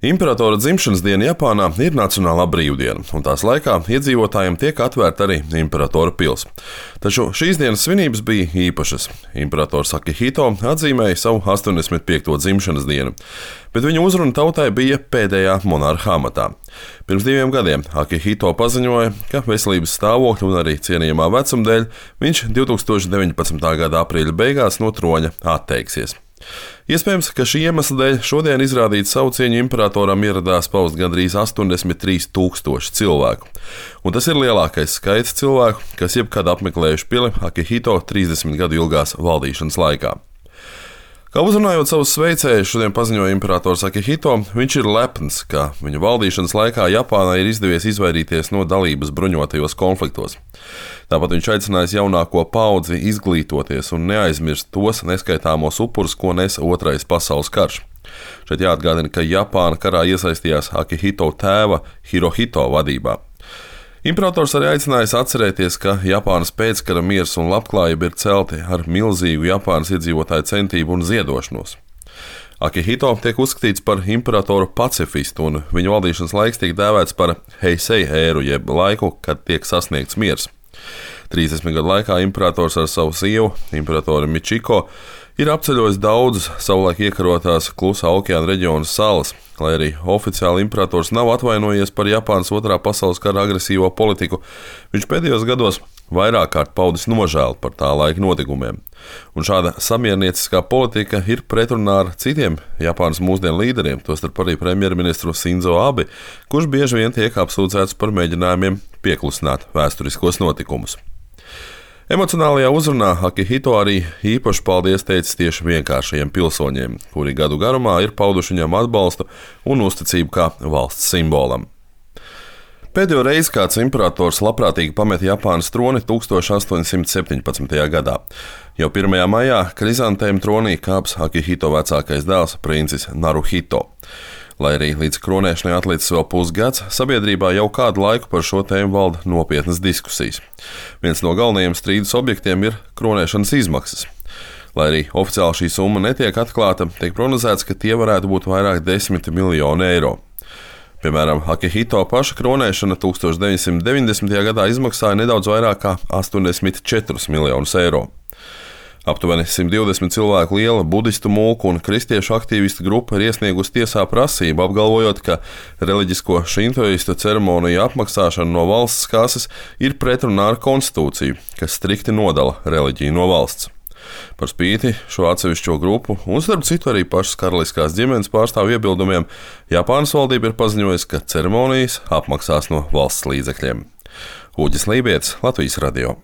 Imperatora dzimšanas diena Japānā ir nacionālā brīvdiena, un tās laikā iedzīvotājiem tiek atvērta arī Imperatora pils. Taču šīs dienas svinības bija īpašas. Imperators Akihito atzīmēja savu 85. dzimšanas dienu, bet viņa uzruna tautai bija pēdējā monarha amatā. Pirms 2 gadiem Akihito paziņoja, ka veselības stāvokļa un arī cienījamā vecuma dēļ viņš 2019. gada aprīļa beigās no troņa atteiksies. Iespējams, ka šī iemesla dēļ šodien izrādīt savu cieņu imperatoram ieradās paust gandrīz 83,000 cilvēku. Un tas ir lielākais skaits cilvēku, kas jebkad apmeklējuši pili Akihito 30 gadu ilgās valdīšanas laikā. Kā uzrunājot savus sveicējus, šodien paziņoja imperators Akihito, viņš ir lepns, ka viņa valdīšanas laikā Japānai ir izdevies izvairīties no dalības bruņotajos konfliktos. Tāpat viņš aicinājis jaunāko paudzi izglītoties un neaizmirst tos neskaitāmos upurus, ko nesa Otrais pasaules karš. Šeit jāatgādina, ka Japāna karā iesaistījās Akihito tēva Hirohito vadībā. Imperators arī aicinājis atcerēties, ka Japānas pēckara miers un labklājība ir celti ar milzīgu Japānas iedzīvotāju centību un ziedošanos. Akihito tiek uzskatīts par imperatoru pacifistu, un viņa valdīšanas laiks tiek dēvēts par Heisei ēru, jeb laiku, kad tiek sasniegts miers. 30 gadu laikā imperators ar savu sievu, imperatoru Michiko, ir apceļojis daudzas savulaik iekarotās Klusā okeāna reģiona salas, lai arī oficiāli imperators nav atvainojies par Japānas Otrā pasaules kara agresīvo politiku. Viņš pēdējos gados vairāk kārt paudis nožēlu par tā laika notikumiem. Un šāda samiernieciskā politika ir pretrunā ar citiem Japānas mūsdienu līderiem, tostarp arī premjerministru Sinzo Abe, kurš bieži vien tiek apsūdzēts par mēģinājumiem pieklusināt vēsturiskos notikumus. Emocionālajā uzrunā Akihito arī īpaši paldies teicis tieši vienkāršajiem pilsoņiem, kuri gadu garumā ir pauduši viņam atbalstu un uzticību kā valsts simbolam. Pēdējo reizi kāds imperators labprātīgi pameta Japānas troni 1817. gadā. Jau 1. maijā Krizantēma tronī kāps Akihito vecākais dēls princis Naruhito. Lai arī līdz kronēšanai atlicis vēl pusgads, sabiedrībā jau kādu laiku par šo tēmu valda nopietnas diskusijas. Viens no galvenajiem strīdus objektiem ir kronēšanas izmaksas. Lai arī oficiāli šī summa netiek atklāta, tiek prognozēts, ka tie varētu būt vairāk 10 miljoni eiro. Piemēram, Akihito paša kronēšana 1990. gadā izmaksāja nedaudz vairāk kā 84 miljonus eiro. Aptuveni 120 cilvēku liela budistu mulku un kristiešu aktīvistu grupa ir iesniegusi tiesā prasību, apgalvojot, ka reliģisko šintoistu ceremoniju apmaksāšana no valsts kases ir pretrunā ar konstitūciju, kas strikti nodala reliģiju no valsts. Par spīti šo atsevišķo grupu un, starp citu, arī pašas karaliskās ģimenes pārstāvju iebildumiem, Japānas valdība ir paziņojusi, ka ceremonijas apmaksās no valsts līdzekļiem. Uģis Lībietis, Latvijas radio.